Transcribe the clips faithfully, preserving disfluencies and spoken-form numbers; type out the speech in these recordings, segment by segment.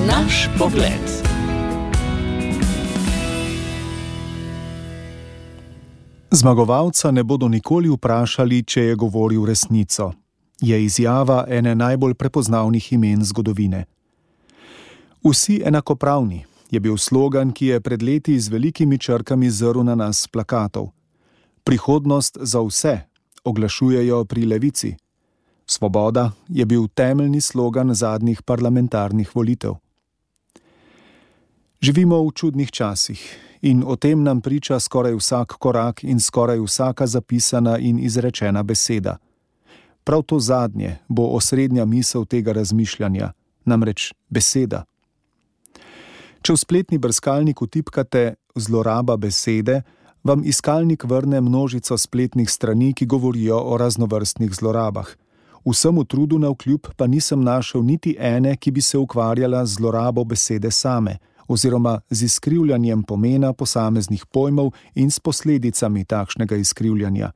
Naš pogled. Zmagovalca ne bodo nikoli vprašali, če je govoril resnico. Je izjava ene najbolj prepoznavnih imen zgodovine. Vsi enakopravni je bil slogan, ki je pred leti z velikimi črkami zrl na nas s plakatov. Prihodnost za vse oglašujejo pri levici. Svoboda je bil temeljni slogan zadnjih parlamentarnih volitev. Živimo v čudnih časih in o tem nam priča skoraj vsak korak in skoraj vsaka zapisana in izrečena beseda. Prav to zadnje bo osrednja misel tega razmišljanja, namreč beseda. Če v spletni brskalnik vtipkate zloraba besede, vam iskalnik vrne množico spletnih strani, ki govorijo o raznovrstnih zlorabah. Vsemu trudu navkljub pa nisem našel niti ene, ki bi se ukvarjala z zlorabo besede same, oziroma z izkrivljanjem pomena posameznih pojmov in s posledicami takšnega izkrivljanja.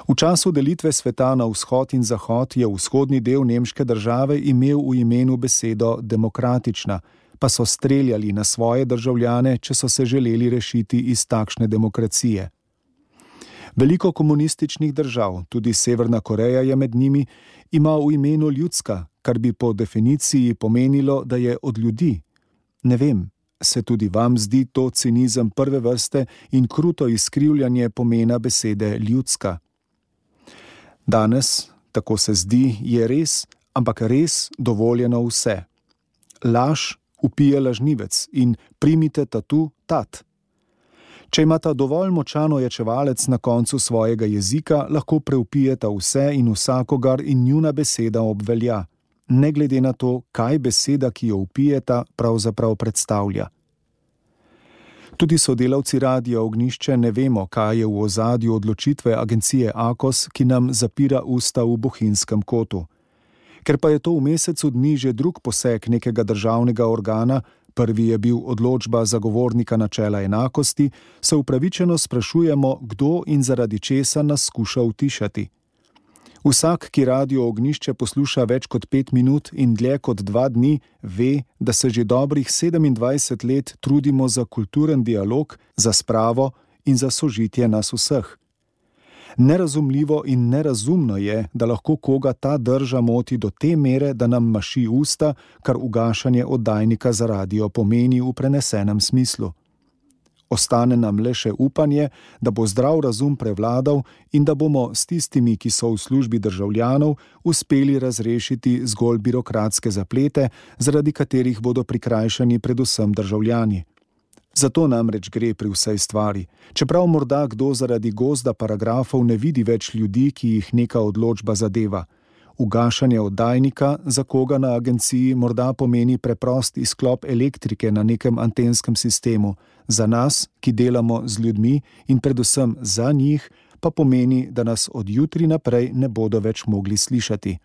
V času delitve sveta na vzhod in zahod je vzhodni del nemške države imel v imenu besedo demokratična, pa so streljali na svoje državljane, če so se želeli rešiti iz takšne demokracije. Veliko komunističnih držav, tudi Severna Koreja je med njimi, ima v imenu ljudska, kar bi po definiciji pomenilo, da je od ljudi. Ne vem, se tudi vam zdi to cinizem prve vrste in kruto izkrivljanje pomena besede ljudska? Danes, tako se zdi, je res, ampak res dovoljeno vse. Laž vpije lažnivec in primite tatu tat. Če imata dovolj močan ojačevalec na koncu svojega jezika, lahko preupijeta vse in vsakogar in njuna beseda obvelja, ne glede na to, kaj beseda, ki jo vpijeta, pravzaprav predstavlja. Tudi sodelavci Radia Ognjišče ne vemo, kaj je v ozadju odločitve agencije Akos, ki nam zapira usta v Bohinjskem kotu. Ker pa je to v mesecu dni že drug poseg nekega državnega organa, prvi je bil odločba zagovornika načela enakosti, se upravičeno sprašujemo, kdo in zaradi česa nas skuša utišati. Vsak, ki Radio Ognjišče posluša več kot pet minut in dlje kot dva dni, ve, da se že dobrih sedemindvajset let trudimo za kulturen dialog, za spravo in za sožitje nas vseh. Nerazumljivo in nerazumno je, da lahko koga ta drža moti do te mere, da nam maši usta, kar ugašanje oddajnika za radio pomeni v prenesenem smislu. Ostane nam le še upanje, da bo zdrav razum prevladal in da bomo s tistimi, ki so v službi državljanov, uspeli razrešiti zgolj birokratske zaplete, zaradi katerih bodo prikrajšani predvsem državljani. Zato namreč gre pri vsej stvari. Čeprav morda kdo zaradi gozda paragrafov ne vidi več ljudi, ki jih neka odločba zadeva. Ugašanje oddajnika, za koga na agenciji morda pomeni preprost izklop elektrike na nekem antenskem sistemu, za nas, ki delamo z ljudmi in predvsem za njih, pa pomeni, da nas od jutri naprej ne bodo več mogli slišati.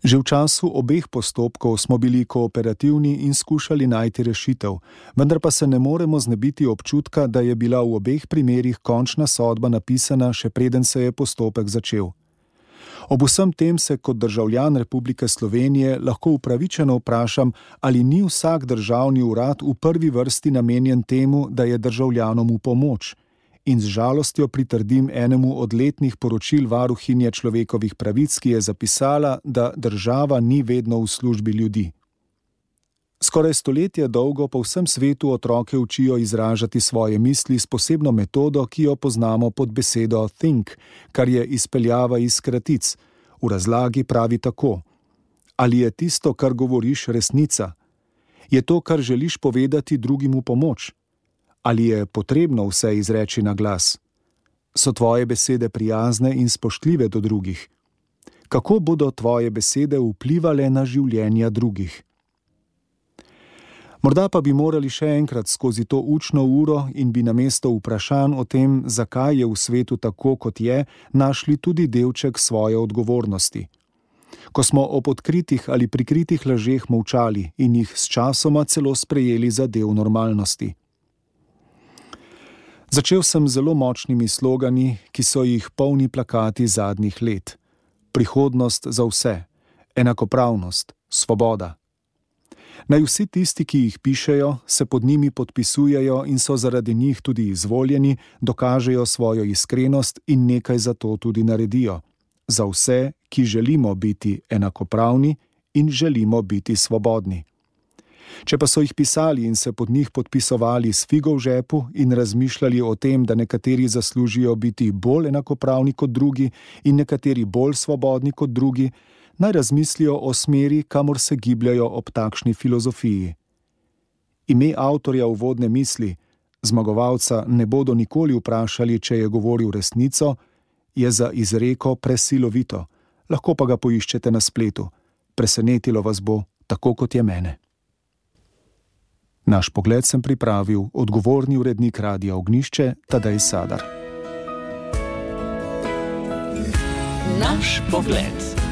Že v času obeh postopkov smo bili kooperativni in skušali najti rešitev, vendar pa se ne moremo znebiti občutka, da je bila v obeh primerih končna sodba napisana, še preden se je postopek začel. Ob vsem tem se kot državljan Republike Slovenije lahko upravičeno vprašam, ali ni vsak državni urad v prvi vrsti namenjen temu, da je državljanom v pomoč. In z žalostjo pritrdim enemu od letnih poročil varuhinje človekovih pravic, ki je zapisala, da država ni vedno v službi ljudi. Skoraj stoletje dolgo po vsem svetu otroke učijo izražati svoje misli s posebno metodo, ki jo poznamo pod besedo think, kar je izpeljava iz kratic. V razlagi pravi tako: ali je tisto, kar govoriš, resnica? Je to, kar želiš povedati drugim v pomoč? Ali je potrebno vse izreči na glas? So tvoje besede prijazne in spoštljive do drugih? Kako bodo tvoje besede vplivale na življenja drugih? Morda pa bi morali še enkrat skozi to učno uro in bi namesto vprašanj o tem, zakaj je v svetu tako, kot je, našli tudi delček svoje odgovornosti. Ko smo ob odkritih ali prikritih lažeh molčali in jih sčasoma celo sprejeli za del normalnosti. Začel sem zelo močnimi slogani, ki so jih polni plakati zadnjih let. Prihodnost za vse, enakopravnost, svoboda, Naj vsi tisti, ki jih pišejo, se pod njimi podpisujejo in so zaradi njih tudi izvoljeni, dokažejo svojo iskrenost in nekaj za to tudi naredijo. Za vse, ki želimo biti enakopravni in želimo biti svobodni. Če pa so jih pisali in se pod njih podpisovali s figo v žepu in razmišljali o tem, da nekateri zaslužijo biti bolj enakopravni kot drugi in nekateri bolj svobodni kot drugi, naj razmislijo o smeri, kamor se gibljajo ob takšni filozofiji. Ime avtorja uvodne misli, zmagovalca ne bodo nikoli vprašali, če je govoril resnico, je za izreko presilovito, lahko pa ga poiščete na spletu. Presenetilo vas bo, tako kot je mene. Naš pogled sem pripravil odgovorni urednik Radia Ognjišče Tadej Sadar. Naš pogled.